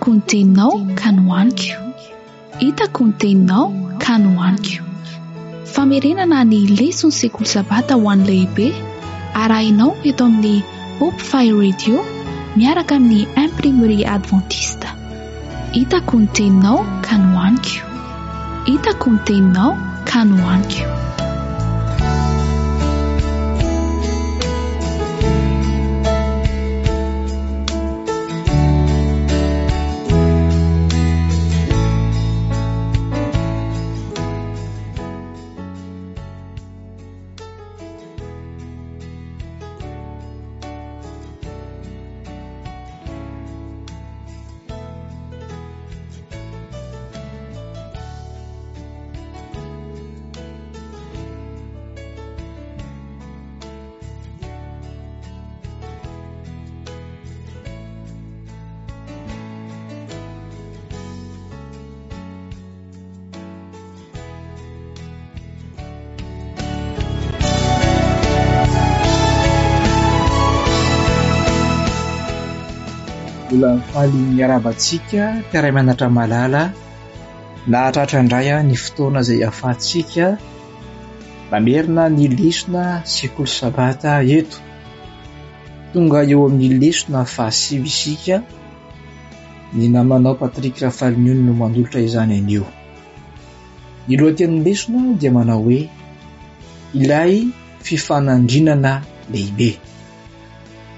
Hitako ny teninao ka nohaniko. Hitako ny teninao ka nohaniko. Famerenana ny leson'ny sekoly sabata ho an'ny lehibe arahinao eto amin'ny Hope Fire Radio miaraka amin'ny Imprimerie Adventiste. Hitako ny teninao ka nohaniko. Hitako ny teninao ka nohaniko. Mbola faly miarahaba antsika mpiara-mianatra malala nahatratra indray ny fotoana izay ahafahantsika mamerina ny lesona sekoly sabata eto. Tonga eo amin'ny lesona fahasivy isika. Ny namanao Patrick Rafaliniony no manolotra izany anio. Ny lohatenin'ny lesona dia manao hoe Ilay fifanandrinana lehibe.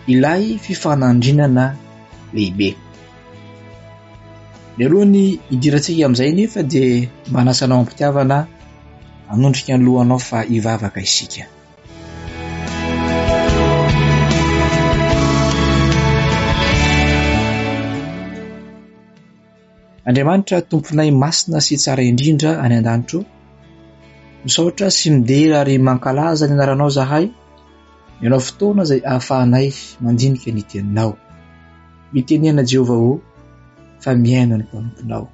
Ilay fifanandrinana lehibe. Mialohan'ny hidirantsika amin'izay nefa dia manasa anao am-pitiavana hanondrika ny lohanao fa hivavaka isika. Andriamanitra Tomponay masina sy tsara indrindra any an-danitra o, misaotra sy midera ary mankalaza ny anaranao zahay, ianao fotoana izay ahafahanay mandinika ny teninao. Mitenena Jehovah o, fa mihaino ny mpanomponao.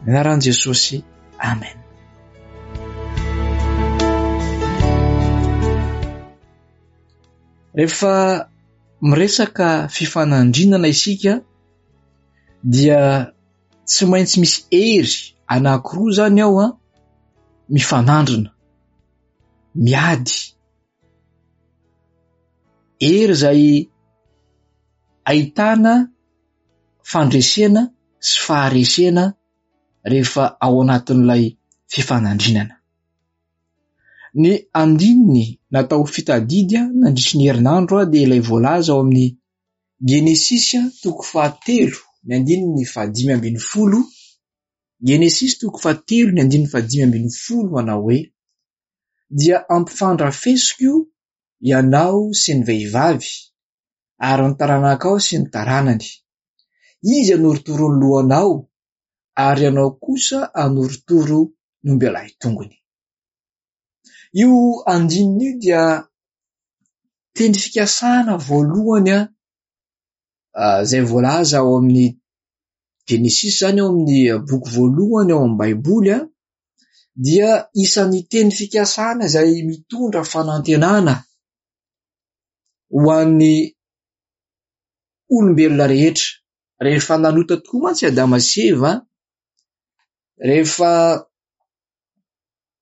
Ny anaran'i Jesosy, Amen. Rehefa miresaka fifanandrinana isika dia tsy maintsy misy hery anankiroa izany ao an, mifanandrina, miady. Hery izay ahitana fandresena sy faharesena rehefa ao anatin'ilay fifanandrinana. Ny andininy natao ho fitadidy nandritry ny herinandro dia ilay voalaza ao amin'ny Genesisy toko fahatelo ny andininy fahadimy ambin'ny folo, Genesisy toko fahatelo ny andininy fahadimy ambin'ny folo manao hoe, Dia ampifandrafesiko ianao sy ny vehivavy, ary ny taranakao sy ny taranany. Izy hanorotoro ny lohanao, ary ianao kosa hanorotoro ny ombialahy tongony. Io andininy io dia teny fikasana voalohany izay voalaza ao amin'ny Genesisy izany ao amin'ny boky voalohany ao amin'ny Baiboly dia isan'ny teny fikasana izay mitondra fanantenana ho an'ny olombelona rehetra. Rehefa nanota tokoa mantsy Adama sy Eva, rehefa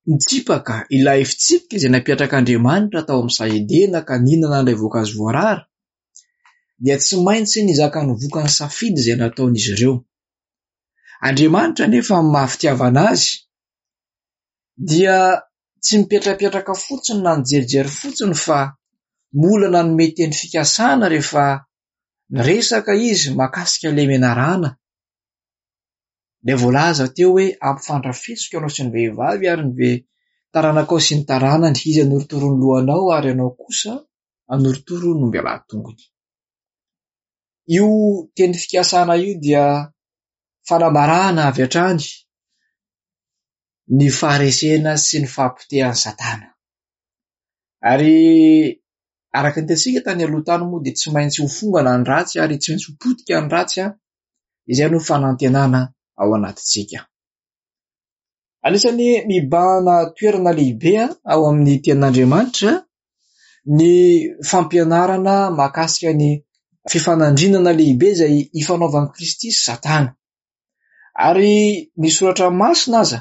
nitsipaka ilay fitsipika izay napetrak'Andriamanitra tao amin'ny saha Edena ka nihinana an'ilay voankazo voarara, dia tsy maintsy nizaka ny vokany safidy izay nataon'izy ireo. Andriamanitra anefa amin'ny maha fitiavana azy dia tsy mipetrapetraka fotsiny na nijerijery fotsiny fa mbola nanome teny fikasana rehefa niresaka izy mahakasika ilay menarana. Ilay voalaza teo hoe ampifandrafesiko ianao sy ny vehivavy ary ny ve taranakao sy ny taranany, izy hanorotoro ny lohanao ary ianao kosa hanorotoro ny ombialahy tongony. Io teny fikasana io dia fanambarana avy hatrany ny faharesena sy ny fahapotehan'i Satana. Ary araka ny hitantsika tany aloha tany moa dia tsy maintsy ho fongana ny ratsy ary tsy maintsy ho potika ny ratsy, izay no fanantenana ao anatintsika. Anisan'ny mibahana toerana lehibe ao amin'ny tenin'Andriamanitra ny fampianarana mahakasika ny fifanandrinana lehibe izay ifanaovan'i Kristy sy Satana. Ary ny soratra masina aza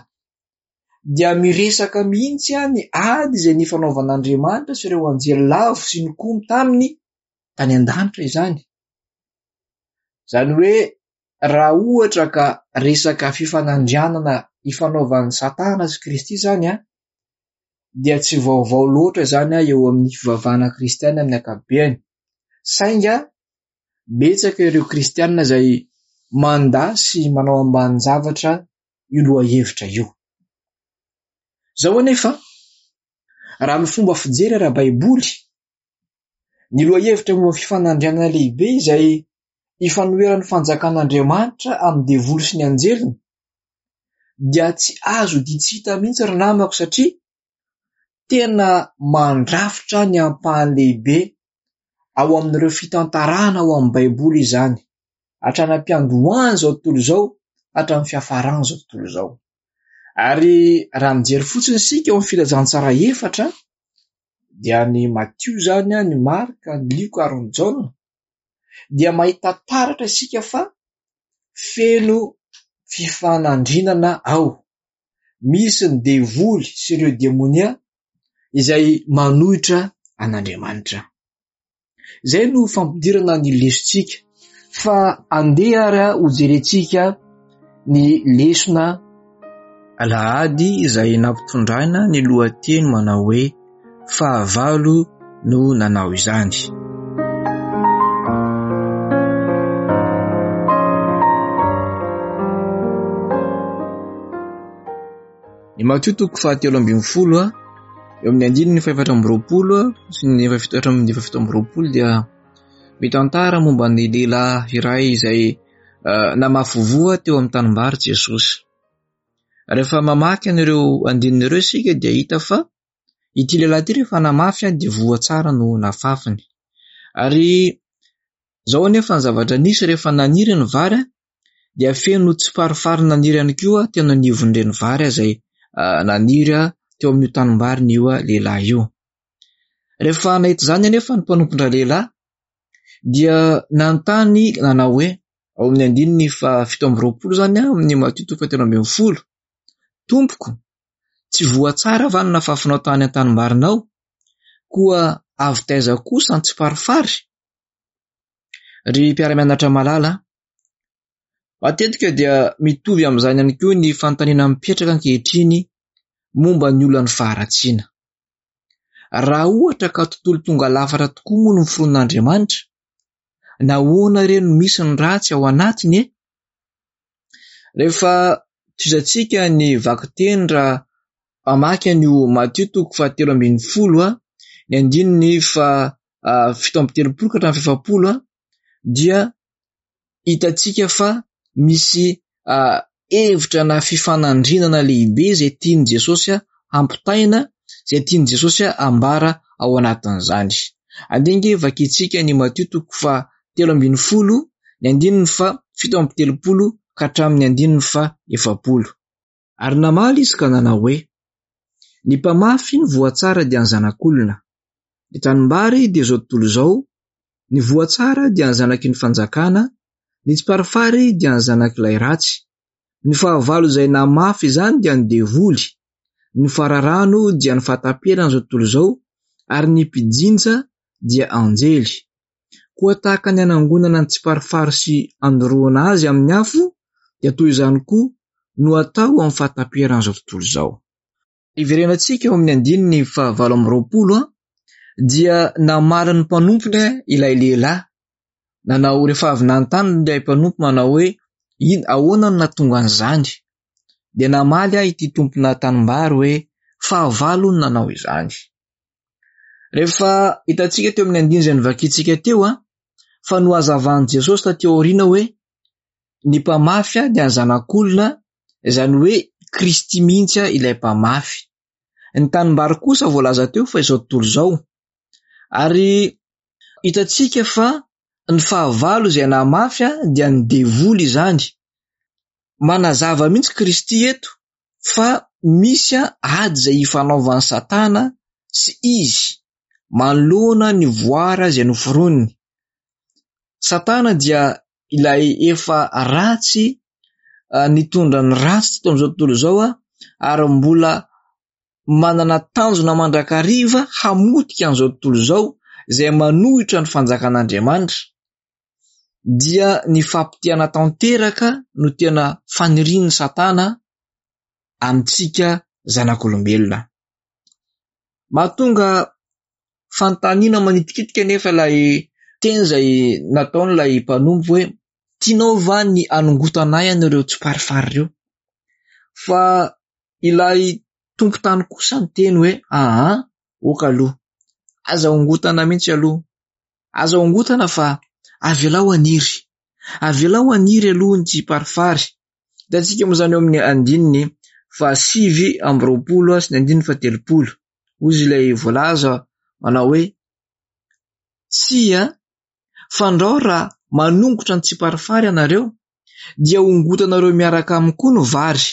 dia miresaka mihitsy ny ady izay nifanaovan'Andriamanitra sy ireo anjely lavo sy nikomy taminy tany an-danitra izany. Izany hoe raha ohatra ka resaka fifanandrianana ifanaovan'i Satana sy Kristy izany dia tsy vaovao loatra izany eo amin'ny fivavahana kristiana amin'ny ankapobeny. Saingy betsaka ireo kristiana izay mandà sy manao ambanin-javatra io lohahevitra io. Izao anefa, raha ny fomba fijery ara-baiboly, ny lohahevitra momba ny fifanandrianana lehibe izay ifanoheran'ny fanjakan'Andriamanitra amin'ny devoly sy ny anjeliny dia tsy azo odian-tsy hita mihitsy ry namako satria tena mandrafitra ny ampahany lehibe ao amin'ireo fitantarana ao amin'ny Baiboly izany, hatrany am-piandohan'izao tontolo izao hatramin'ny fiafaran'izao tontolo izao. Ary raha mijery fotsiny isika ao amin'ny filazantsara efatra dia ny Matio izany, ny Marka, ny Lioka ary ny Jaona dia mahita taratra isika fa feno fifanandrinana ao. Misy ny devoly sy ireo demonia izay manohitra an'Andriamanitra. Izay no fampidirana ny lesontsika fa andeha ary hojerentsika ny lesona alahady izay nampitondraina ny lohateny manao hoe fahavalo no nanao izany. Ny Matio toko fahatelo ambin'ny folo eo amin'ny andininy fahefatra amby roapolo sy ny fahafito hatramin'ny fahafito amby roapolo dia mitantara momba ny lehilahy iray izay namafy voa teo amin'ny tanimbary Jesosy. Rehefa mamaky an'ireo andininy ireo isika dia hita fa ity lehilahy ity rehefa namafy dia voa tsara no nafafiny. Ary izao anefa ny zavatra nisy rehefa naniry ny vary dia feno tsiparifary naniry ihany koa teo anivon'ireny vary izay naniry teo amin'io tanimbariny io lehilahy io. Rehefa nahita izany anefa ny mpanompon-dralehilahy dia nanontany nanao hoe, ao amin'ny andininy fahafito amby roapolo izany amin'ny Matio toko fahatelo ambin'ny folo, Tompoko, tsy voa tsara va ny nafafinao tany an-tanimbarinao? Koa avy taiza kosa ny tsiparifary? Ry mpiara-mianatra malala, matetika dia mitovy amin'izany ihany koa ny fanontaniana mipetraka ankehitriny momba ny olan'ny faharatsiana. Raha ohatra ka tontolo tonga lafatra tokoa moa no noforonon'Andriamanitra, nahoana re no misy ny ratsy ao anatiny e? Rehefa tohizantsika ny vakiteny raha hamaky an'io Matio toko fahatelo ambin'ny folo, ny andininy faha 37 ka hatramin'ny fahefapolo dia hitantsika fa misy hevitra na fifanandrinana lehibe izay tian'i Jesosy hampitaina, izay tian'i Jesosy hambara ao anatin'izany. Andeha ange vakintsika ny Matio toko faha 13, ny andininy faha 37 ka hatramin'ny andininy faha 40. Ary namaly izy ka nanao hoe, Ny mpamafy ny voa tsara dia ny Zanak'olona, ny tanimbary dia izao tontolo izao, ny voa tsara dia ny zanaky ny fanjakana, ny tsiparifary dia ny zanak'ilay ratsy, ny fahavalo izay namafy izany dia ny devoly, ny fararano dia ny fahataperan'izao tontolo izao, ary ny mpijinja dia anjely. Koa tahaka ny anangonana ny tsiparifary sy andoroana azy amin'ny afo, dia toy izany koa no atao amin'ny fahataperan'izao tontolo izao. Iverenantsika eo amin'ny andininy fahavalo amby roapolo dia namaly ny mpanompony ilay lehilahy. Nanao rehefa avy nanontany ilay mpanompo manao hoe ahoana no nahatonga an'izany? Dia namaly ahy ity tompona tanimbary hoe fahavalo no nanao izany. Rehefa hitantsika teo amin'ny andininy izay novakintsika teo fa nohazavan'i Jesosy taty aoriana hoe ny mpamafy dia ny zanak'olona, izany hoe Kristy mihitsy ilay mpamafy. Ny tanimbary kosa voalaza teo fa izao tontolo izao. Ary hitantsika fa ny fahavalo izay namafy dia ny devoly izany. Manazava mihitsy Kristy eto fa misy ady izay ifanaovan'i Satana sy izy manoloana ny voara izay noforoniny. Satana dia ilay efa ratsy nitondra ny ratsy teto amin'izao tontolo izao ary mbola manana tanjona mandrakariva hamotika an'izao tontolo izao izay manohitra ny fanjakan'Andriamanitra, dia ny fampotehana tanteraka no tena fanirian'i Satana amintsika zanak'olombelona. Mahatonga fanontaniana manitikitika anefa ilay teny izay nataon'ilay mpanompo hoe tianao va ny hanongotana ahy an'ireo tsiparifary ireo? Fa ilay tompon-tany kosa niteny hoe aa, ok aloha, aza ongotana mihitsy aloha, aza ongotana fa avelao haniry, avelao haniry aloha ny tsiparifary. Hitantsika moa izany eo amin'ny andininy fahasivy amby roapolo sy ny andininy fahatelopolo. Hoy ilay voalaza manao hoe tsia, fandrao raha manongotra ny tsiparifary ianareo dia hongotanareo miaraka aminy koa ny vary.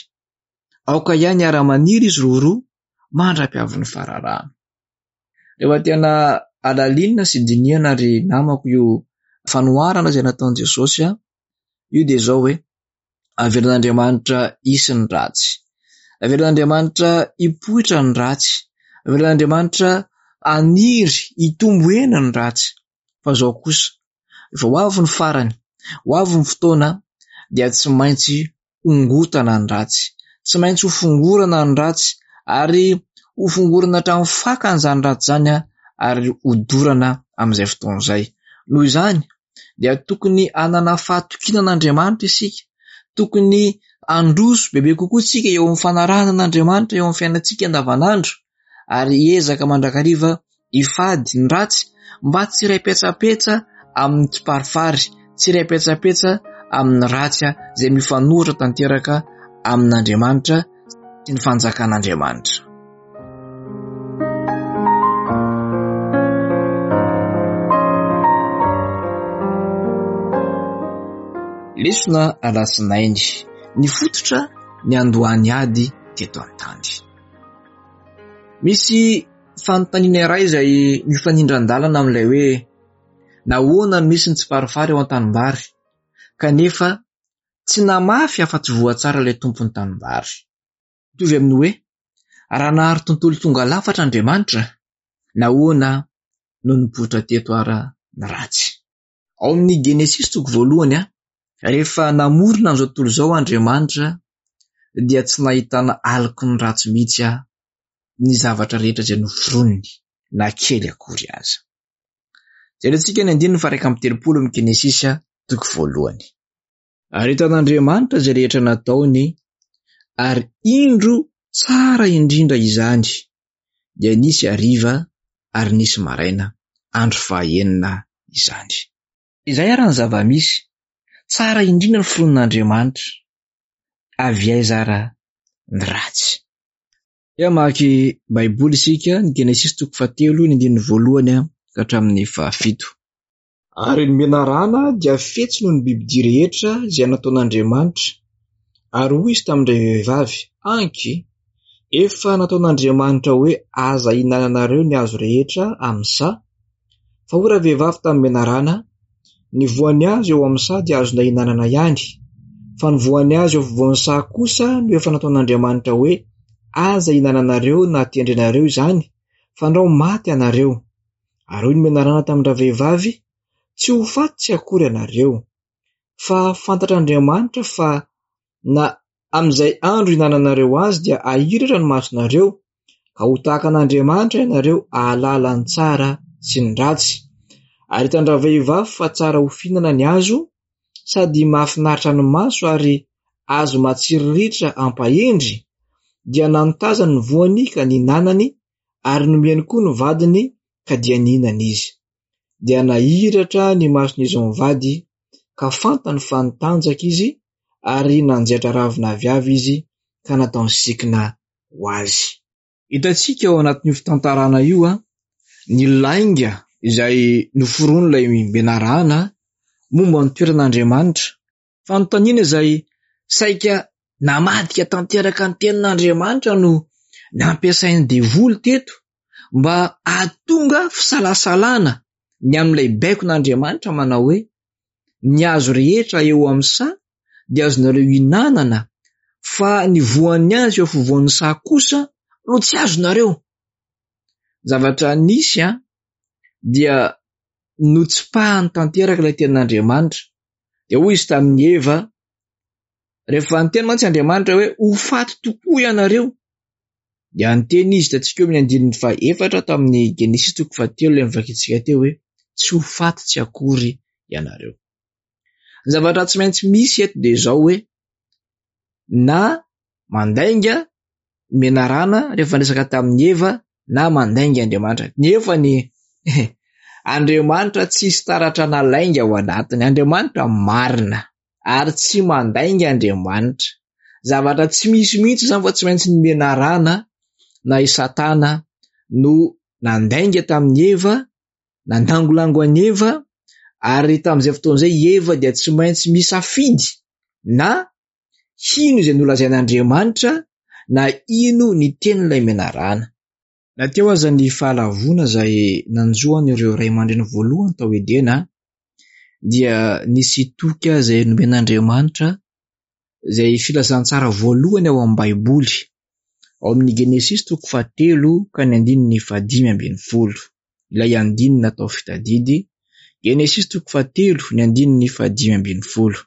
Aoka ihany hiara-maniry izy roroa mandra-piavin'ny fararano. Rehefa tena alalinina sy dinihana ry namako io fanoharana izay nataon'i Jesosy io dia izao hoe avelan'Andriamanitra hisy ny ratsy. Avelan'Andriamanitra hipoitra ny ratsy. Avelan'Andriamanitra haniry hitombo hena ny ratsy. Fa izao kosa, rehefa ho avy ny farany, ho avy ny fotoana dia tsy maintsy hongotana ny ratsy. Tsy maintsy ho fongorana ny ratsy ary ho fongorana hatramin'ny fakany izany ratsy izany ary hodorana amin'izay fotoana izay. Noho izany dia tokony hanana fahatokiana an'Andriamanitra isika. Tokony handroso bebe kokoa isika eo amin'ny fanarahana an'Andriamanitra eo amin'ny fiainantsika andavanandro ary hiezaka mandrakariva hifady ny ratsy mba tsy hiray petsapetsa amin'ny tsiparifary, tsy hiray petsapetsa amin'ny ratsy izay mifanohitra tanteraka amin'Andriamanitra sy ny fanjakan'Andriamanitra. Lesona alatsinainy, ny fototra niandohan'ny ady teto an-tany. Misy fanontaniana iray izay mifanindran-dalana amin'ilay hoe nahoana no misy ny tsiparifary eo an-tanimbary kanefa tsy namafy afa-tsy voa tsara ilay tompon'ny tanimbary. Mitovy amin'ny hoe raha nahary tontolo tonga lafatra Andriamanitra, nahoana no nipoitra teto ara ny ratsy? Ao amin'ny Genesisy toko voalohany, rehefa namorona an'izao tontolo izao Andriamanitra dia tsy nahitana aloky ny ratsy mihitsy ny zavatra rehetra izay noforoniny, na kely akory aza. Jerentsika ny andininy faha-31 amin'ny Genesisy toko voalohany. Ary hitan'Andriamanitra izay rehetra nataony, ary indro tsara indrindra izany. Dia nisy hariva ary nisy maraina, andro fahaenina izany. Izay ary ny zava-misy, tsara indrindra ny foronin'Andriamanitra, avy aiza ara ny ratsy? Dia hamaky Baiboly isika, ny Genesisy toko fahatelo, ny andininy voalohany ka hatramin'ny fahafito. Ary ny menarana dia fetsy noho ny bibidia rehetra izay nataon'Andriamanitra. Ary hoy izy tamin-dravehivavy, Anky, efa nataon'Andriamanitra hoe aza ihinananareo ny hazo rehetra amin'ny saha. Fa hoy ravehivavy tamin'ny menarana, Ny voan'ny hazo eo amin'ny saha dia azonay ihinanana ihany, fa ny voan'ny hazo eo afovoan'ny saha kosa no efa nataon'Andriamanitra hoe aza ihinananareo na tendrenareo izany, fandrao maty ianareo. Ary hoy ny menarana tamin-dravehivavy, Tsy ho faty tsy akory ianareo, fa fantatr'Andriamanitra fa na amin'izay andro ihinananareo azy dia hahiratra ny masonareo, ka ho tahaka an'Andriamanitra ianareo hahalala ny tsara sy ny ratsy. Ary hitan-dravehivavy fa tsara ho fihinana ny hazo, sady mahafinaritra ny maso ary hazo matsiriritra hampahendry, dia nanotazany ny voany ka nihinanany, ary nomeny koa ny vadiny ka dia nihinana izy. Dia nahiratra ny mason'izy mivady ka fantany fa nitanjaka izy ary nanjaitra ravina aviavy izy ka nataony sikina ho azy. Hitantsika ao anatin'io fitantarana io ny lainga izay noforonin'ilay menarana momba ny toeran'Andriamanitra. Fanontaniana izay saika namadika tanteraka ny tenin'Andriamanitra no nampiasain'ny devoly teto mba hahatonga fisalasalana ny amin'ilay baikon'Andriamanitra manao hoe. Ny hazo rehetra eo amin'ny saha dia azonareo ihinanana, fa ny voan'ny hazo eo afovoan'ny saha kosa no tsy azonareo. Zavatra nisy an, dia notsipahany tanteraka ilay tenin'Andriamanitra. Dia hoy izy tamin'i Eva, rehefa niteny mantsy Andriamanitra hoe ho faty tokoa ianareo, dia niteny izy, hitantsika eo amin'ny andininy fahaefatra tamin'ny Genesisy toko fahatelo ilay novakintsika teo hoe tsy ho faty tsy akory ianareo. Ny zavatra tsy maintsy misy eto dia izao hoe na mandainga ny menarana rehefa niresaka tamin'i Eva na mandainga Andriamanitra. Nefa ny Andriamanitra tsisy taratra na lainga ao anatiny. Andriamanitra marina ary tsy mandainga Andriamanitra. Zavatra tsy misy mihitsy izany fa tsy maintsy ny menarana na i Satana no nandainga tamin'i Eva, nandangolango an'i Eva ary tamin'izay fotoana izay i Eva dia tsy maintsy misafidy na hino izay nolazain'Andriamanitra na hino ny tenin'ilay menarana. Na teo aza ny fahalavoana izay nanjo an'ireo ray aman-dreny voalohany tao Edena, dia nisy toky izay nomen'Andriamanitra, izay filazantsara voalohany ao amin'ny Baiboly, ao amin'ny Genesisy toko fahatelo ka ny andininy fahadimy ambin'ny folo. Ilay andininy natao fitadidy, Genesisy toko fahatelo, ny andininy fahadimy ambin'ny folo.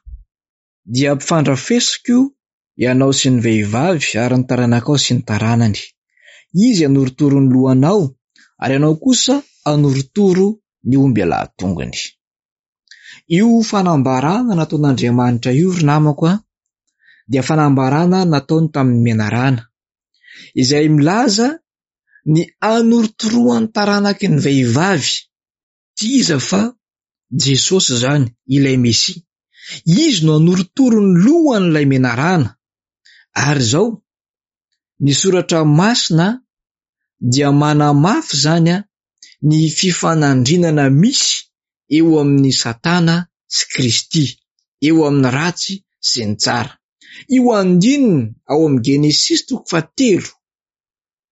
Dia ampifandrafesiko ianao sy ny vehivavy ary ny taranakao sy ny taranany. Izy hanorotoro ny lohanao ary ianao kosa hanorotoro ny ombialahy-tongony. Io fanambarana nataon'Andriamanitra io ry namako a, dia fanambarana nataony tamin'ny menarana, izay milaza ny hanorotoroan'ny taranaky ny vehivavy. Tsy iza fa Jesosy izany, ilay Mesia. Izy no hanorotoro ny lohan'ilay menarana. Ary izao, ny soratra masina dia manamafy izany ny fifanandrinana misy eo amin'i Satana sy Kristy, eo amin'ny ratsy sy ny tsara. Io andininy ao amin'ny Genesisy toko fahatelo,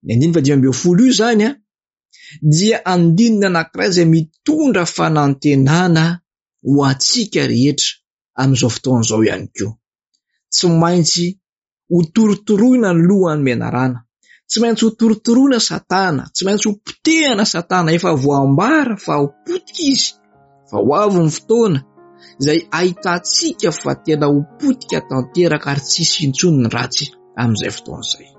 ny andininy fahadimy ambin'ny folo io izany dia andininy anankiray izay mitondra fanantenana ho antsika rehetra amin'izao fotoana izao ihany koa. Tsy maintsy ho torotoroina ny lohan'ny menarana, tsy maintsy ho torotoroina Satana, tsy maintsy ho potehana Satana, efa voambara fa ho potika izy, fa ho avy ny fotoana izay ahitantsika fa tena ho potika tanteraka ary tsy hisy intsony ny ratsy amin'izay fotoana izay.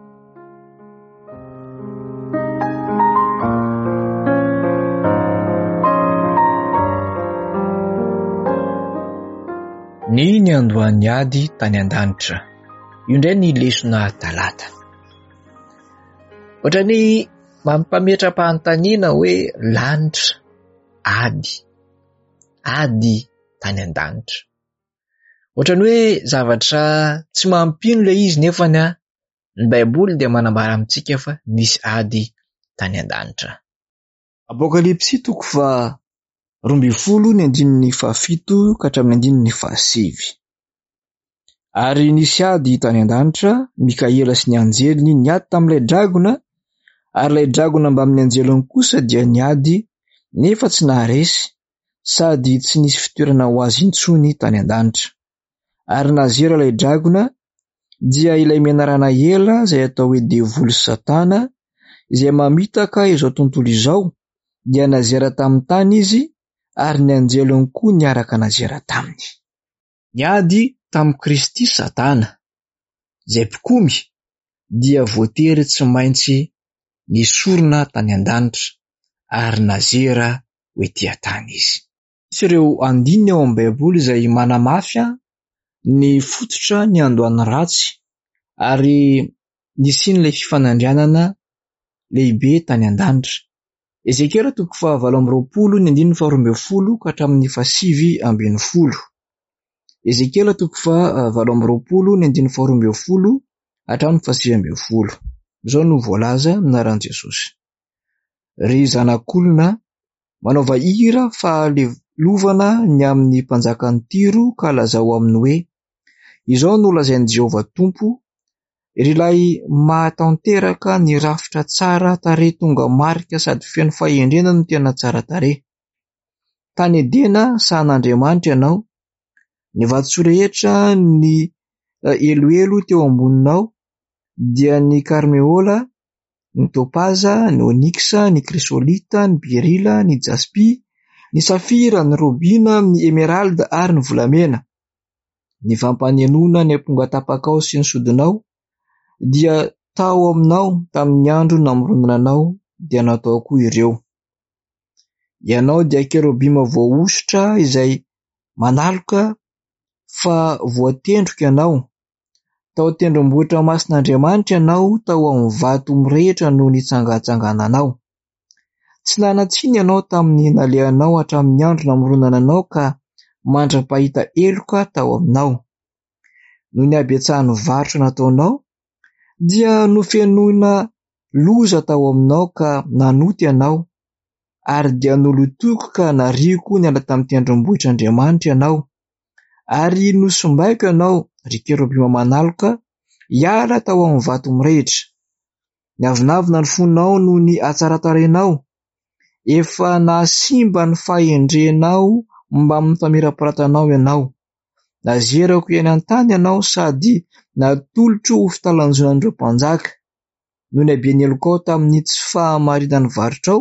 Ny niandohan'ny ady tany an-danitra. Io indray ny lesona talata. Ohatran'ny mampametra-panontaniana hoe lanitra, ady, ady tany an-danitra. Ohatran'ny hoe zavatra tsy mampino ilay izy nefany ny Baiboly dia manambara amintsika fa nisy ady tany an-danitra. Apokalypsy toko faha 12 ny andininy fahafito ka hatramin'ny andininy fahasivy. Ary nisy ady tany an-danitra, Mikaela sy ny anjeliny niady tamin'ilay dragona, ary ilay dragona mbamin'ny anjeliny kosa dia niady, nefa tsy naharesy, sady tsy nisy fitoerana ho azy intsony tany an-danitra. Ary nazera ilay dragona, dia ilay menarana ela izay atao hoe devoly sy satana, izay mamitaka izao tontolo izao, dia nazera tamin'ny tany izy, ary ny anjeliny koa niaraka nazera taminy. Niady tamin'i Kristy Satana, izay mpikomy, dia voatery tsy maintsy nesorina tany an-danitra ary nazera ho ety an-tany izy. Misy ireo andininy ao amin'ny Baiboly izay manamafy ny fototra niandohan'ny ratsy ary nisian'ilay fifanandrianana lehibe tany an-danitra. Ezekiela toko fahavalo amby roapolo ny andininy faharoa ambin'ny folo ka hatramin'ny fahasivy ambin'ny folo. Ezekiela toko fahavalo amby roapolo ny andininy faharoa ambin'ny folo hatramin'ny fahasivy ambin'ny folo. Izao no voalaza amin'ny anaran'i Jesosy. Ry zanak'olona, manaova hira fahalelovana ny amin'ny mpanjakan'i Tyro ka lazao aminy hoe, Izao no lazain'i Jehovah Tompo, Ry ilay mahatanteraka ny rafitra tsara tarehy tonga marika sady feno fahendrena no tena tsara tarehy. Tany Edena sahan'Andriamanitra ianao. Ny vatosoa rehetra ny eloelo teo amboninao dia ny karmeola, ny topaza, ny oniksa, ny krisolita, ny berila, ny jaspy, ny safira, ny robina, ny emeralda ary ny volamena. Ny fampanenoana ny ampongatapakao sy ny sodinao dia tao aminao tamin'ny andro namoronana anao dia natao koa ireo. Ianao dia kerobima voahosotra izay manaloka fa voatendriko ianao. Tao an-tendrombohitra masin'Andriamanitra ianao, tao amin'ny vato mirehitra no nitsangatsangananao. Tsy nanan-tsiny ianao tamin'ny nalehanao hatramin'ny andro namoronana anao ka mandra-pahita heloka tao aminao. Noho ny habetsahan'ny varotra nataonao dia nofenoina loza tao aminao ka nanota ianao, ary dia nolotoiko ka nariako niala tamin'ny tendrombohitr'Andriamanitra ianao, ary nosimbaiko ianao, ry kerobima manaloka, hiala tao amin'ny vato mirehitra. Niavonavona ny fonao noho ny hatsaran-tarehinao, efa nahasimba ny fahendrenao mbamin'ny famirapiratanao ianao. Nazerako eny an-tany ianao sady natolotro ho fitalanjonan'ireo mpanjaka. Noho ny haben'ny helokao tamin'ny tsy fahamarinan'ny varotrao,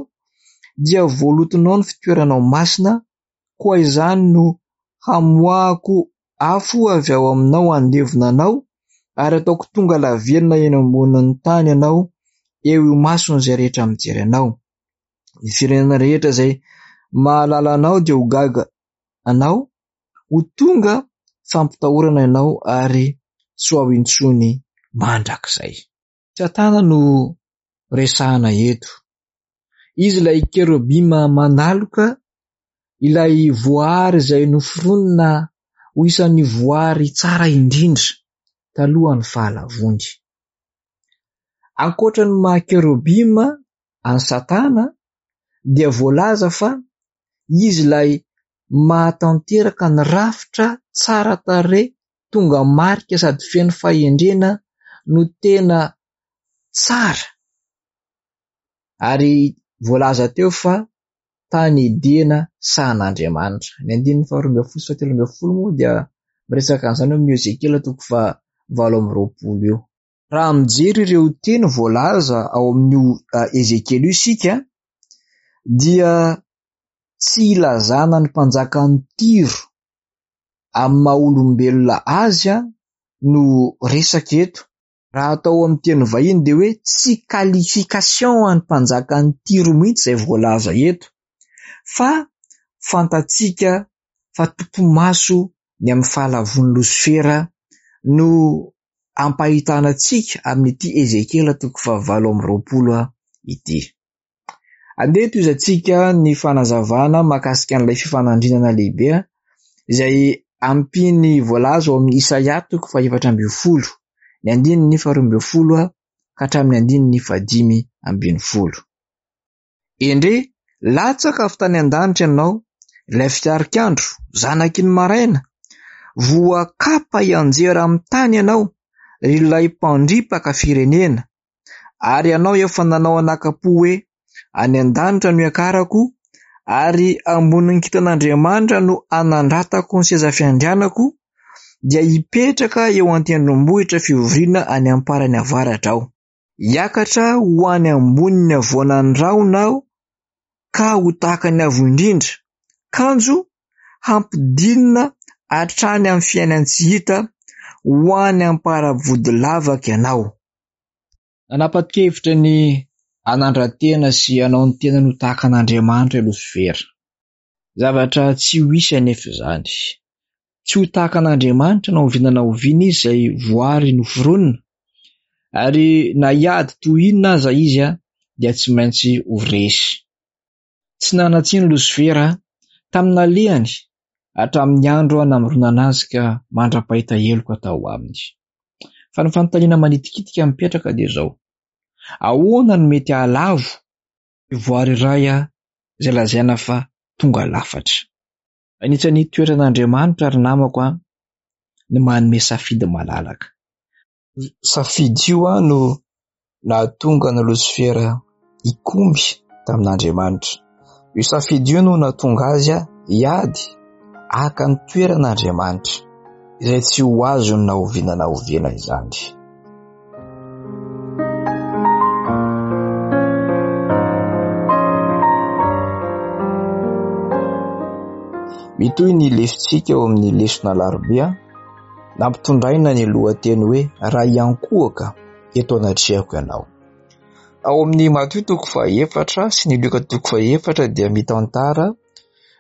dia voalotonao ny fitoeranao masina, koa izany no hamoahako afo avy ao aminao handevona anao, ary hataoko tonga lavenona eny ambonin'ny tany ianao, eo imason'izay rehetra mijery anao. Ny firenena rehetra izay mahalala anao dia ho gaga anao, ho tonga fampitahorana ianao ary tsy ho ao intsony mandrakizay. Satana no resahana eto. Izy ilay kerobima manaloka, ilay voary izay noforonina ho isan'ny voary tsara indrindra talohan'ny fahalavoany. Ankoatra ny maha kerobima an'i Satana dia voalaza fa izy ilay mahatanteraka ny rafitra tsara tarehy tonga marika sady feno fahendrena no tena tsara. Ary voalaza teo fa tany Edena sahan'Andriamanitra. Ny andininy faharoa ambin'ny folo sy fahatelo ambin'ny folo moa dia miresaka an'izany ao amin'ny Ezekiela toko fahavalo amby roapolo io. Raha mijery ireo teny voalaza ao amin'io Ezekiela io isika dia tsy ilazana ny mpanjakan'i Tyro amin'ny maha olombelona azy no resaka eto. Raha atao amin'ny teny vahiny dia hoe tsy qualification an'ny mpanjakan'i Tyro mihitsy izay voalaza eto fa fantatsika fa topi-maso ny amin'ny fahalavoan'i Losifera no ampahitana antsika amin'ity Ezekiela toko fahavalo amby roapolo ity. Andeha tohizantsika ny fanazavana mahakasika an'ilay fifanandrinana lehibe izay ampian'ny voalaza ao amin'ny Isaia toko fahefatra ambin'ny folo, ny andininy faharoa ambin'ny folo ka hatramin'ny andininy fahadimy ambin'ny folo. Endrey, latsaka avy tany an-danitra ianao, ilay fitarikandro, zanaky ny maraina. Voakapa hianjera amin'ny tany ianao, ry ilay mpandripaka firenena. Ary ianao efa nanao anakam-po hoe, Any an-danitra no hiakarako, ary ambonin'ny kintan'Andriamanitra no hanandratako ny seza fiandrianako, dia hipetraka eo an-tendrombohitra fivoriana any am-parany avaratra aho. Hiakatra ho any ambonin'ny havoanan'ny rahona aho ka ho tahaka ny Avo Indrindra, kanjo hampidinina hatrany amin'ny fiainan-tsy hita ho any am-paravodilavaka ianao. Nanapa-kevitra ny hanandra-tena sy hanao ny tenany ho tahaka an'Andriamanitra i Losifera. Zavatra tsy ho hisy anefa izany. Tsy ho tahaka an'Andriamanitra na oviana na oviana izy izay voary noforonina, ary na hiady toy inona aza izy dia tsy maintsy ho resy. Tsy nanan-tsiny Losifera tamin'ny nalehany hatramin'ny andro namoronana azy ka mandra-pahita heloka tao aminy. Fa ny fanontaniana manitikitika mipetraka dia izao, ahoana no mety hahalavo ny voary iray izay lazaina fa tonga lafatra? Anisan'ny toetran'Andriamanitra ry namako an, ny manome safidy malalaka. Io safidy io no nahatonga an'i Losifera hikomy tamin'Andriamanitra. Io safidy io no nahatonga azy hiady. haka ny toeran'Andriamanitra, izay tsy ho azony na oviana na oviana izany. Mitohy ny lesontsika ao amin'ny lesona alarobia, nampitondraina ny lohateny hoe Raha hiankohoka eto anatrehako ianao. Ao amin'ny Matio toko fahaefatra sy ny Lioka toko fahaefatra dia mitantara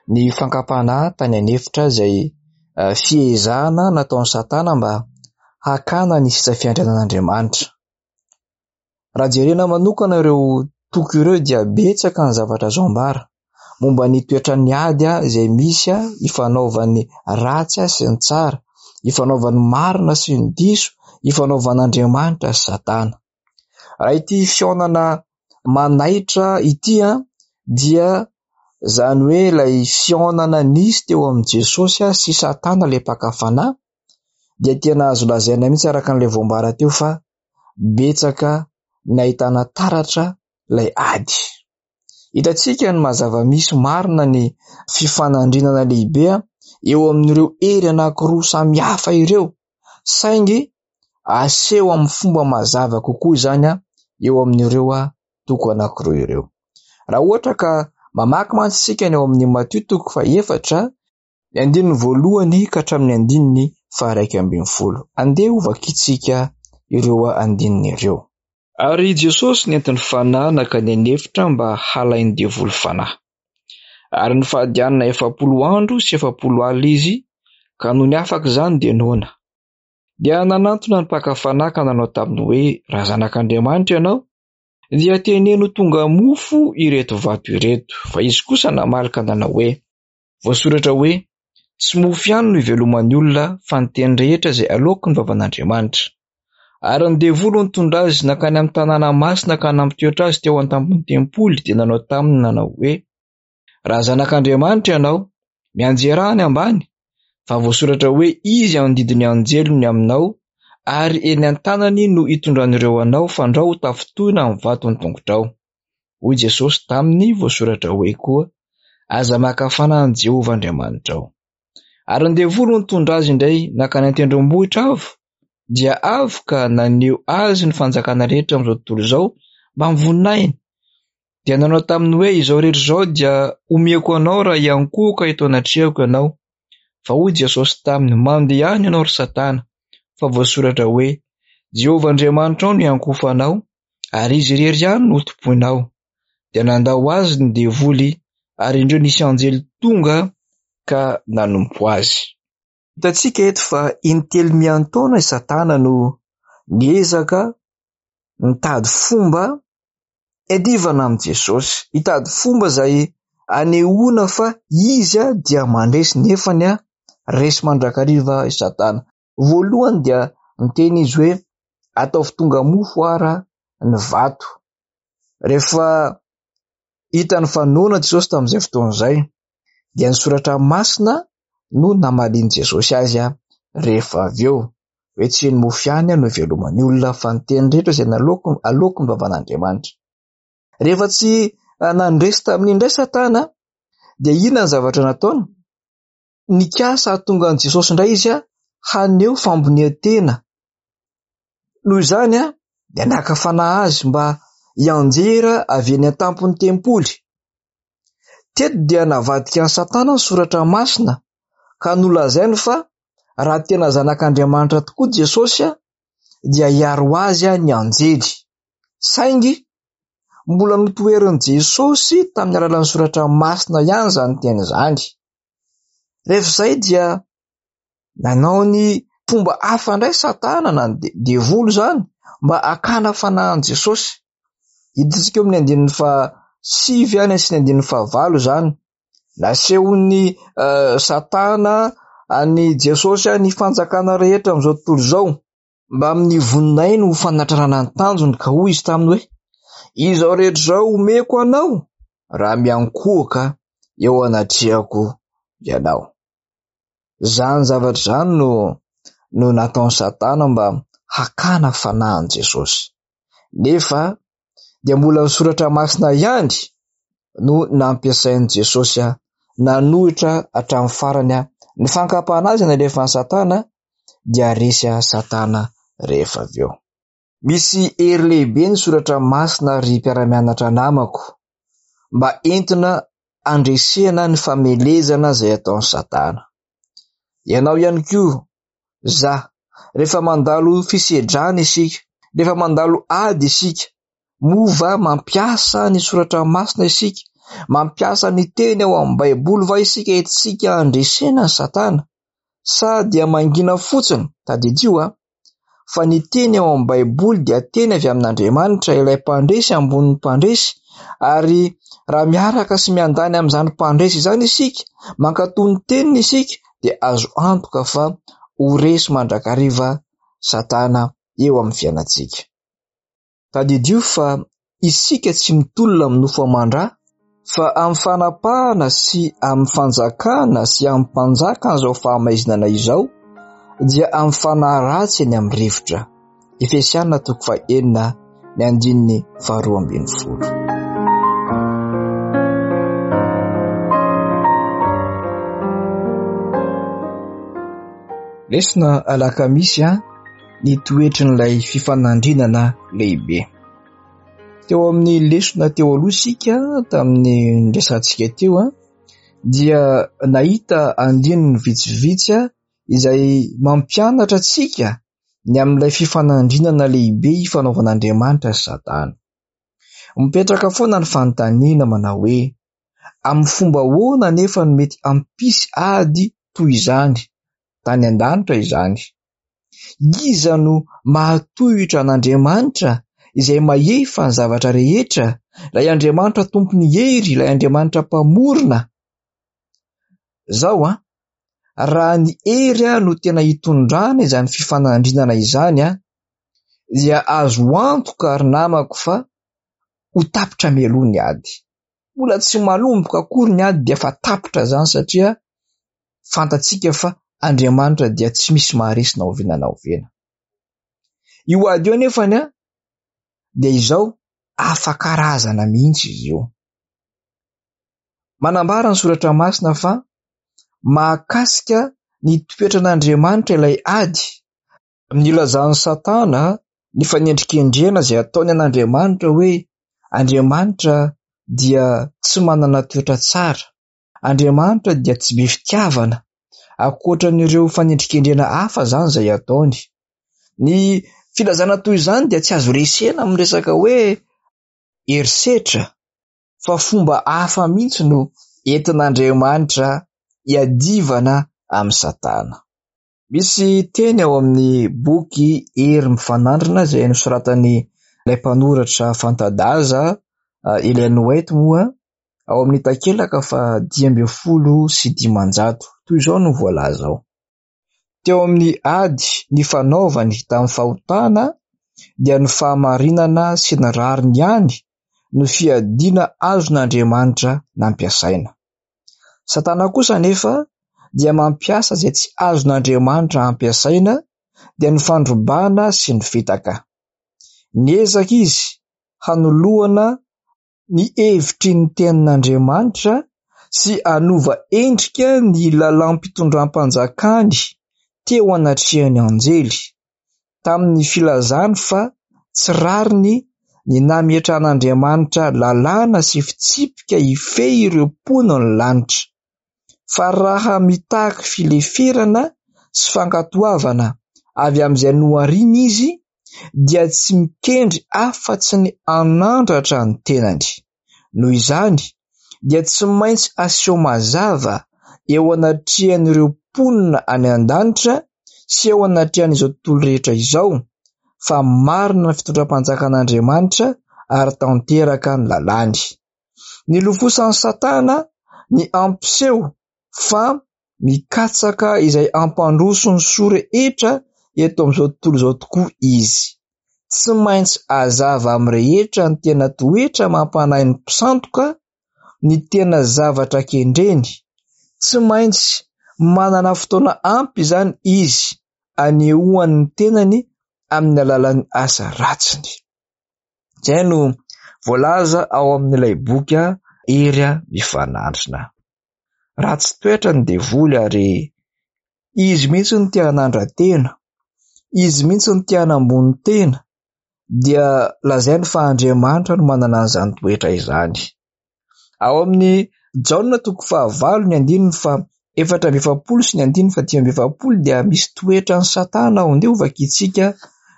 ny fankam-panahy tany an'efitra izay fiezahana nataon'i Satana mba hakana ny sisa fiandrianan'Andriamanitra. Raha jerena manokana ireo toko ireo dia betsaka ny zavatra azo ambara momba ny toetran'ny ady izay misy ifanaovan'ny ratsy sy ny tsara, ifanaovan'ny marina sy ny diso, ifanaovan'Andriamanitra sy Satana. Raha ity fihaonana manaitra ity dia izany hoe ilay fihaonana nisy teo amin'i Jesosy sy Satana ilay mpaka fanahy dia tena azo lazaina mihitsy araka an'ilay voambara teo fa betsaka ny ahitana taratra ilay ady. Hitantsika ny maha zava-misy marina ny fifanandrinana lehibe eo amin'ireo hery anankiroa samy hafa ireo, saingy aseho amin'ny fomba mazava kokoa izany eo amin'ireo toko anankiroa ireo. Raha ohatra ka mamaky mantsy isika ny ao amin'ny Matio toko fahefatra, ny andininy voalohany ka hatramin'ny andininy faha-11. Andeha hovakintsika ireo andininy ireo. Ary Jesosy nentin'ny Fanahy nankany an'efitra mba halain'ny devoly fanahy. Ary nifady hanina 40 andro sy 40 alina izy, ka nony afaka izany dia noana. Dia nanantona ny mpaka fanahy ka nanao taminy hoe, Raha zanak'Andriamanitra ianao, dia teneno tonga mofo ireto vato ireto. Fa izy kosa namaly ka nanao hoe, Voasoratra hoe, Tsy mofo ihany no iveloman'ny olona, fa ny teny rehetra izay aloaky ny vavan'Andriamanitra. Ary ny devoly nitondra azy nankany amin'ny tanàna masina ka nampitoetra azy teo an-tampon'ny tempoly, dia nanao taminy nanao hoe, Raha zanak'Andriamanitra ianao, mianjerà any ambany, fa voasoratra hoe, Izy handidy ny anjeliny ny aminao, ary eny an-tanany no hitondran'ireo anao, fandrao ho tafintohina amin'ny vato ny tongotrao. Hoy Jesosy taminy, Voasoratra hoe koa, Aza maka fanahy an'i Jehovah Andriamanitrao. Ary ny devoly nitondra azy indray nankany an-tendrombohitra avo, dia avo ka naneho azy ny fanjakana rehetra amin'izao tontolo izao mbamin'ny voninahiny. Dia nanao taminy hoe, Izao rehetra izao dia omeko anao raha hiankohoka eto anatrehako ianao. Fa hoy Jesosy taminy, Mandehana ianao, ry Satana, fa voasoratra hoe, Jehovah Andriamanitrao no hiankohofanao, ary Izy irery ihany no hotompoinao. Dia nandao azy ny devoly, ary indreo nisy anjely tonga ka nanompo azy. Hitantsika eto fa intelo miantaona i Satana no niezaka nitady fomba hiadivana amin'i Jesosy, hitady fomba izay anehoana fa izy dia mandresy nefany resy mandrakariva i Satana. Voalohany dia niteny izy hoe ataovy tonga mofo ara ny vato. Rehefa hitany fa noana Jesosy tamin'izay fotoana izay dia ny soratra masina no namalian'i Jesosy azy rehefa avy eo hoe tsy ny mofo ihany no iveloman'ny olona fa ny teny rehetra izay aloaky ny vavan'Andriamanitra. Rehefa tsy nandresy tamin'iny indray Satana dia inona ny zavatra nataony? Nikasa hahatonga an'i Jesosy indray izy haneho fambonian-tena. Noho izany dia naka fanahy azy mba hianjera avy eny an-tampon'ny tempoly. Teto dia navadika an'i Satana ny soratra masina ka nolazainy fa raha tena zanak'Andriamanitra tokoa Jesosy dia hiaro azy ny anjely. Saingy mbola notoherin'i Jesosy tamin'ny alalan'ny soratra masina ihany izany teny izany. Rehefa izay dia nanao ny fomba hafa indray Satana na ny devoly izany mba hakana fanahy an'i Jesosy. Hitantsika eo amin'ny andininy fahasivy any sy ny andininy fahavalo izany. Nasehon'ny Satana an'i Jesosy ny fanjakana rehetra amin'izao tontolo izao. Mbamin'ny voninahiny ho fanatrarana ny tanjony ka hoy izy taminy hoe, Izao rehetra izao omeko anao raha miankohoka eo anatrehako ianao. Izany zavatra izany no no nataon'i Satana mba hakana fanahy an'i Jesosy. Nefa dia mbola ny soratra masina ihany no nampiasain'i Jesosy. nanohitra hatramin'ny farany ny fankam-panahy izay nalefan'i Satana dia resy Satana rehefa avy eo. Misy hery lehibe ny soratra masina ry mpiara-mianatra namako mba entina handresena ny famelezana izay ataon'i Satana. Ianao ihany koa, za, rehefa mandalo fisedrana isika, rehefa mandalo ady isika, moa va mampiasa ny soratra masina isika? Mampiasa ny teny ao amin'ny Baiboly va isika entintsika handresena ny Satana? Sa dia mangina fotsiny? Tadidio a! Fa ny teny ao amin'ny Baiboly dia teny avy amin'Andriamanitra, ilay mpandresy ambonin'ny mpandresy, ary raha miaraka sy miandany amin'izany mpandresy izany isika, mankatò ny teniny isika, dia azo antoka fa ho resy mandrakariva Satana eo amin'ny fiainantsika. Tadidio fa isika tsy mitolona amin'ny nofo aman-dra, fa amin'ny fanapahana sy amin'ny fanjakana sy amin'ny mpanjakan'izao fahamaizinana izao, dia amin'ny fanahy ratsy eny amin'ny rivotra. Efesiana toko fahenina ny andininy faharoa ambin'ny folo. Lesona alakamisy a ny toetrin'ilay fifanandrinana lehibe. Teo amin'ny lesona teo aloha isika tamin'ny niresahantsika teo dia nahita andininy vitsivitsy izay mampianatra antsika ny amin'ilay fifanandrinana lehibe ifanaovan'Andriamanitra sy Satana. Mipetraka foana ny fanontaniana manao hoe amin'ny fomba ahoana anefa no mety hampisy ady toy izany tany an-danitra izany? Iza no mahatohitra an'Andriamanitra izay mahefa ny zavatra rehetra, ilay Andriamanitra tompon'ny hery, ilay Andriamanitra mpamorona? Zao an, raha ny hery no tena hitondrana izany fifanandrinana izany an, dia azo antoka ry namako fa ho tapitra mialoha ny ady. Mbola tsy manomboka akory ny ady dia efa tapitra izany satria fantatsika fa Andriamanitra dia tsy misy maharesy na oviana na oviana. Io ady io anefany an, dia izao hafa karazana mihitsy izy io. Manambara ny soratra masina fa mahakasika ny toetran'Andriamanitra ilay ady. Nilazan'i Satana ny fanendrikendrehana izay ataony an'Andriamanitra hoe Andriamanitra dia tsy manana toetra tsara, Andriamanitra dia tsy be fitiavana, ankoatran'ireo fanendrikendrehana hafa izany izay ataony. Ny filazana toy izany dia tsy azo resena amin'ny resaka hoe herisetra fa fomba hafa mihitsy no entin'Andriamanitra hiadivana amin'i Satana. Misy teny ao amin'ny boky Hery Mifanandrina izay nosoratan'ilay mpanoratra fanta-daza Ellen White moa ao amin'ny takelaka faha 515. Toy izao no voalaza ao. Teo amin'ny ady nifanaovany tamin'ny fahotana dia ny fahamarinana sy ny rariny ihany no fiadiana azon'Andriamanitra nampiasaina. Satana kosa anefa dia mampiasa izay tsy azon'Andriamanitra ampiasaina dia ny fandrobana sy ny fitaka. Niezaka izy hanoloana ny hevitry ny tenin'Andriamanitra sy hanova endrika ny lalàm-pitondram-panjakany teo anatrehan'ny anjely, tamin'ny filazany fa tsy rariny ny nametrahan'Andriamanitra lalàna sy fitsipika hifehy ireo mponin'ny lanitra, fa raha mitaky fileferana sy fankatoavana avy amin'izay nohariny izy, dia tsy mikendry afa-tsy ny hanandratra ny tenany. Noho izany, dia tsy maintsy aseho mazava eo anatrehan'ireo mponina any an-danitra sy eo anatrehan'izao tontolo rehetra izao fa marina ny fitondram-panjakan'Andriamanitra ary tanteraka ny lalàny. Nilofosan'i Satana ny hampiseho fa mikatsaka izay hampandroso ny soa rehetra eto amin'izao tontolo izao tokoa izy. Tsy maintsy hazava amin'ny rehetra ny tena toetra mampanahy ny mpisandoka, ny tena zavatra kendreny. Tsy maintsy manana fotoana ampy izany izy hanehoany ny tenany amin'ny alalan'ny asa ratsiny. Izay no voalaza ao amin'ilay boky Hery Mifanandrina. Ratsy toetra ny devoly ary izy mihitsy no te hanandra-tena, izy mihitsy no te hanambony tena, dia lazainy fa Andriamanitra no manana an'izany toetra izany. Ao amin'ny Jaona toko fahavalo ny andininy faha-44 sy ny andininy faha-45 dia misy toetran'i Satana ao. Andeha hovakintsika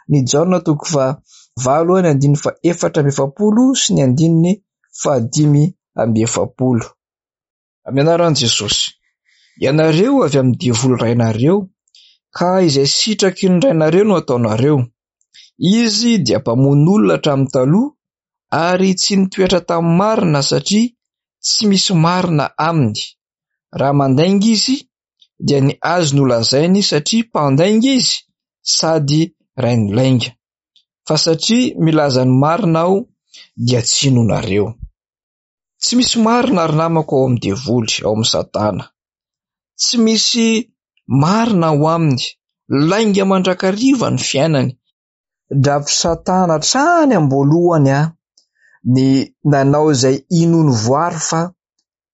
ny Jaona toko fahavalo ny andininy faha-44 sy ny andininy faha-45. Amin'ny anaran'i Jesosy. Ianareo avy amin'ny devoly rainareo, ka izay sitraky ny rainareo no ataonareo. Izy dia mpamono olona hatramin'ny taloha ary tsy nitoetra tamin'ny marina satria tsy misy marina aminy. Raha mandainga izy dia ny azy no lazainy satria mpandainga izy sady rain'ny lainga. Fa satria milaza ny marina aho dia tsy inoanareo. Tsy misy marina ry namako ao amin'ny devoly, ao amin'i Satana. Tsy misy marina ao aminy. Lainga mandrakariva ny fiainany. Drafitr'i Satana hatrany am-boalohany ny nanao izay inoan'ny voary fa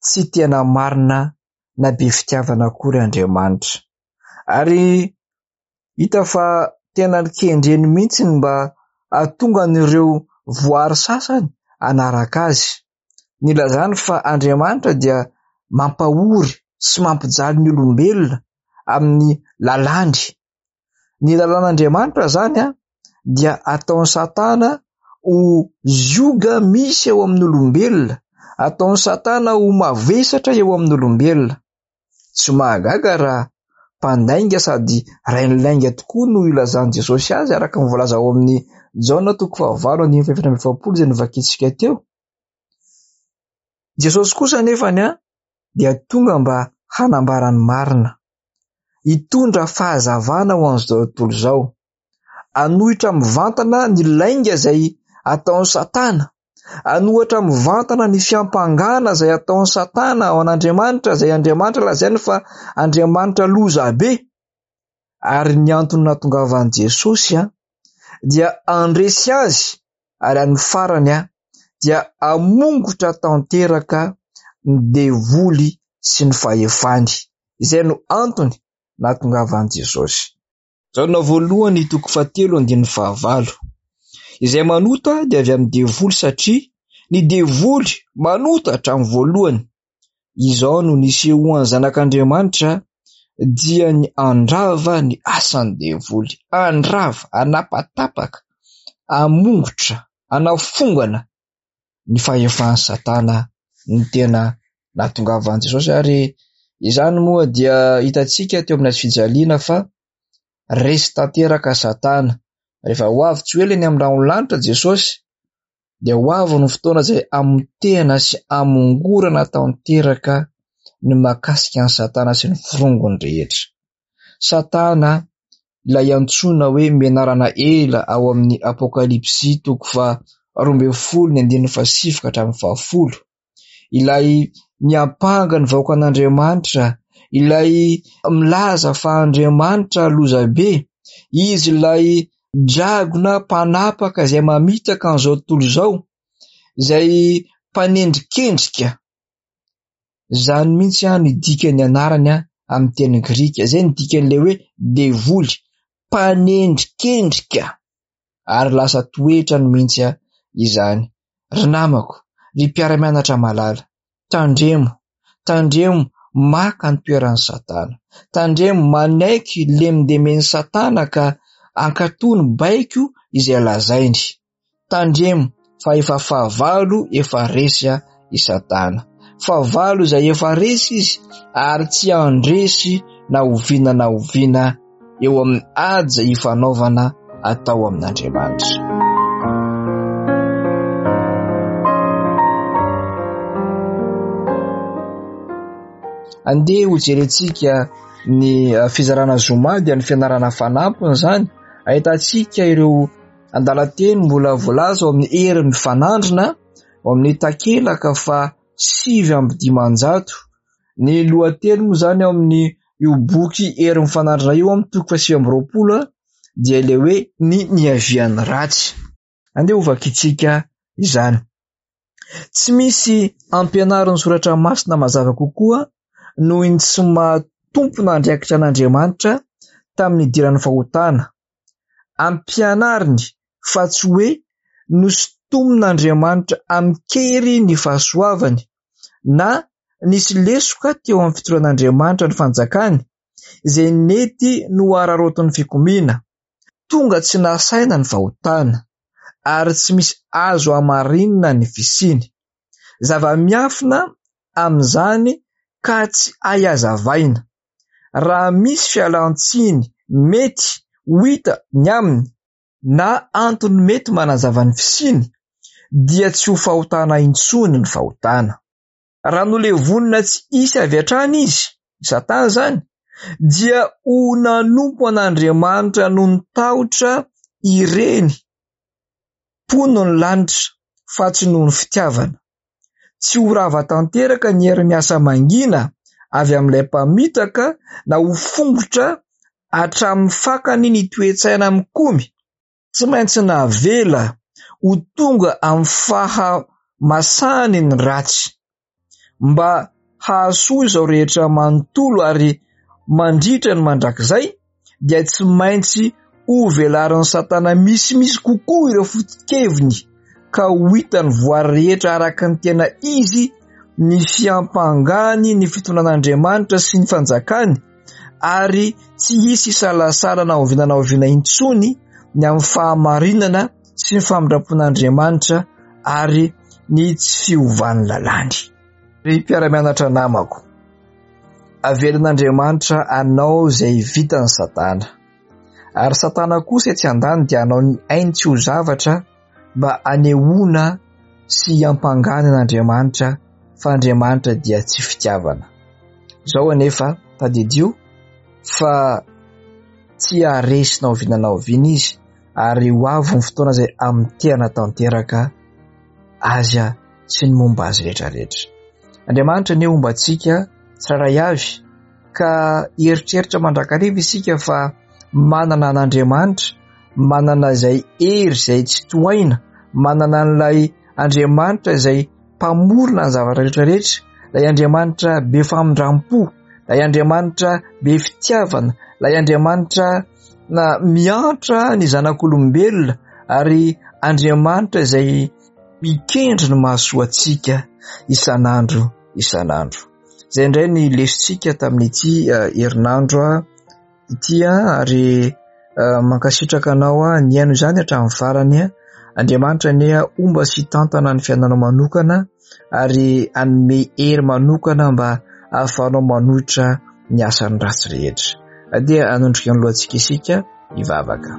tsy tena marina na be fitiavana akory Andriamanitra. Ary hita fa tena kendreny mihitsy ny mba hahatonga an'ireo voary sasany hanaraka azy. Nilazany fa Andriamanitra dia mampahory sy mampijaly ny olombelona amin'ny lalàny. Ny lalàn'Andriamanitra izany dia ataon'i Satana ho zioga misy eo amin'ny olombelona, ataon'i Satana ho mavesatra eo amin'ny olombelona. Tsy mahagaga raha mpandainga sady rain'ny lainga tokoa no ilazan'i Jesosy azy araka ny voalaza ao amin'ny Jaona toko fahavalo andininy faha-44 izay novakintsika teo. Jesosy kosa anefany dia tonga mba hanambara ny marina, hitondra fahazavana ho an'izao tontolo izao, hanohitra mivantana ny lainga izay ataon'i Satana, hanohatra mivantana ny fiampangana izay ataon'i Satana ao an'Andriamanitra, izay Andriamanitra lazainy fa Andriamanitra lozabe. Ary ny antony nahatongavan'i Jesosy dia handresy azy ary amin'ny farany dia hamongotra tanteraka ny devoly sy ny fahefany. Izay no antony nahatongavan'i Jesosy. Jaona voalohany toko fahatelo andininy fahavalo. Izay manota dia avy amin'ny devoly satria ny devoly manota hatramin'ny voalohany. Izao no nisehoan'ny Zanak'Andriamanitra dia ny handrava ny asan'ny devoly. Handrava, hanapatapaka, hamongotra, hanafongana ny fahefan'i Satana ny tena nahatongavan'i Jesosy ary izany moa dia hitantsika teo amin'ny hazo fijaliana fa resy tanteraka Satana. Rehefa ho avy tsy ho ela eny amin'ny rahon'ny lanitra Jesosy dia ho avy ny fotoana izay hamotehana sy hamongorana tanteraka ny mahakasika an'i Satana sy ny forongony rehetra. Satana ilay antsoina hoe menarana ela ao amin'ny Apokalypsy toko faha-12 ny andininy fahasivy ka hatramin'ny fahafolo, ilay miampanga ny vahoakan'Andriamanitra, ilay milaza fa Andriamanitra lozabe, izy ilay dragona mpanapaka izay mamitaka an'izao tontolo izao, izay mpanendrikendrika. Izany mihitsy ny dikan'ny anarany amin'ny teny grika. Izay no dikan'ilay hoe devoly, mpanendrikendrika. Ary lasa toetrany mihitsy izany. Ry namako, ry mpiara-mianatra malala, tandremo, tandremo maka ny toeran'i Satana. Tandremo manaiky lemindemen'i Satana ka hankatò ny baiko izay lazainy. Tandremo fa efa fahavalo efa resy i Satana. Fahavalo izay efa resy izy ary tsy handresy na oviana na oviana eo amin'ny ady izay ifanaovana atao amin'Andriamanitra. Andeha hojerentsika ny fizarana zoma dia ny fianarana fanampiny izany, ahitantsika ireo Andalan-teny mbola voalaza ao amin'ny Hery mifanandrina ao amin'ny takelaka faha 509. Ny lohateny moa izany ao amin'ny io boky Hery mifanandrina io amin'ny toko faha 29 dia ilay hoe ny niavian'ny ratsy. Andeha hovakintsika izany. Tsy misy ampianarin'ny soratra masina mazava kokoa noho ny tsy maha tompon'andraikitra an'Andriamanitra tamin'ny nidiran'ny fahotana. Ampianariny fa tsy hoe nosintomin'Andriamanitra amin-kery ny fahasoavany na nisy lesoka teo amin'ny fitondran'Andriamanitra ny fanjakany izay nety nohararaotin'ny fikomiana. Tonga tsy nasaina ny fahotana ary tsy misy azo hamarinina ny fisiany. Zava-miafina amin'izany ka tsy hay hazavaina. Raha misy fialan-tsiny mety ho hita ny aminy na antony mety manazava ny fisiany dia tsy ho fahotana intsony ny fahotana. Raha nolevonina tsy hisy avy hatrany izy, i Satana izany, dia ho nanompo an'Andriamanitra noho ny tahotra ireny mponin'ny lanitra fa tsy noho ny fitiavana. Tsy ho rava tanteraka ny hery miasa mangina avy amin'ilay mpamitaka na ho fongotra hatramin'ny fakany ny toe-tsaina mikomy. Tsy maintsy navela ho tonga amin'ny fahamasahany ny ratsy mba hahasoa izao rehetra manontolo ary mandritra ny mandrakizay dia tsy maintsy hovelarin'i Satana misimisy kokoa ireo foto-keviny ka ho hitan'ny voary rehetra araka ny tena izy ny fiampangany ny fitondran'Andriamanitra sy ny fanjakany ary tsy hisy hisalasala na oviana na oviana intsony ny amin'ny fahamarinana sy ny famindram-pon'Andriamanitra ary ny tsy fiovan'ny lalàny. Ry mpiara-mianatra namako, avelan'Andriamanitra anao izay vitan'i Satana. Ary Satana kosa etsy andany dia hanao ny ainy tsy ho zavatra mba hanehoana sy hiampangana an'Andriamanitra fa Andriamanitra dia tsy fitiavana. Izao anefa, tadidio fa tsy haharesy na oviana na oviana izy ary ho avy ny fotoana izay hamotehana tanteraka azy sy ny momba azy rehetra rehetra. Andriamanitra anie homba antsika tsirairay avy ka hieritreritra mandrakariva isika fa manana an'Andriamanitra, manana izay hery izay tsy tohaina, manana an'ilay Andriamanitra izay mpamorona ny zavatra rehetra rehetra, ilay Andriamanitra be famindram-po, ilay Andriamanitra be fitiavana, ilay Andriamanitra na miantra ny zanak'olombelona ary Andriamanitra izay mikendry ny mahasoa antsika isan'andro isan'andro. Izay indray ny lesontsika tamin'ity eh, herinandro ah, ity ah, ary eh, mankasitraka anao ah, nihaino izany hatramin'ny farany. Andriamanitra anie homba sy hitantana ny fiainanao manokana ary hanome hery manokana mba hahafahanao manohitra ny asan'ny ratsy rehetra. Dia hanondrika ny lohantsika isika hivavaka.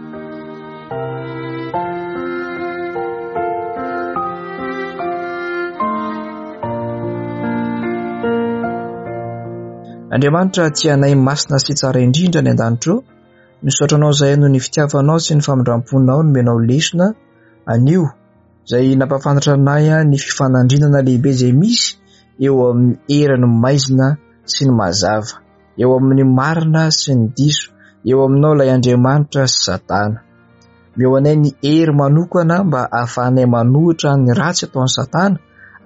Andriamanitra tia anay masina sy tsara indrindra any an-danitra ô, misaotra anao izahay noho ny fitiavanao sy ny famindram-ponao nomenao lesona anio izay nampahafantatra anay ny fifanandrinana lehibe izay misy eo amin'ny herin'ny maizina sy ny mazava. eo amin'ny marina sy ny diso, eo aminao ilay Andriamanitra sy Satana. Omeo anay ny hery manokana mba hahafahanay manohitra ny ratsy ataon'i Satana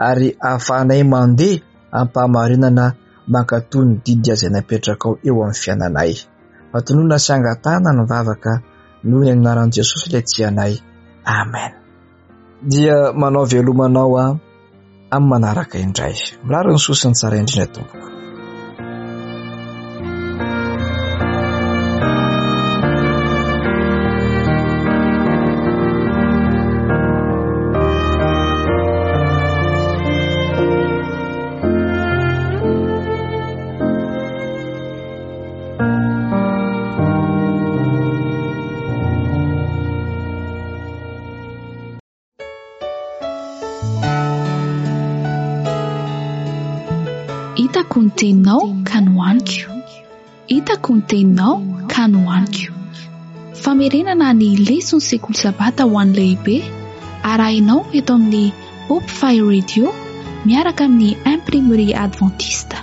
ary hahafahanay mandeha am-pahamarinana mankatò ny didy izay napetrakao eo amin'ny fiainanay. Fatonona sy angatahana ny vavaka noho ny anaran'i Jesosy ilay tia anay. Amen. Dia manao veloma anao aho amin'ny manaraka indray. Mirary ny soa sy ny tsara indrindra tompoko. Hitako ny teninao ka nohaniko. Hitako ny teninao ka nohaniko. Famerenana ny leson'ny sekoly sabata ho an'ny lehibe arahinao eto amin'ny Hope Fire Radio miaraka amin'ny Imprimerie Adventiste.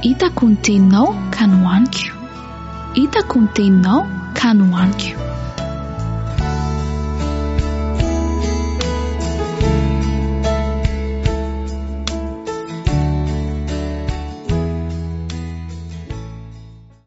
Hitako ny teninao ka nohaniko. Hitako ny teninao ka nohaniko.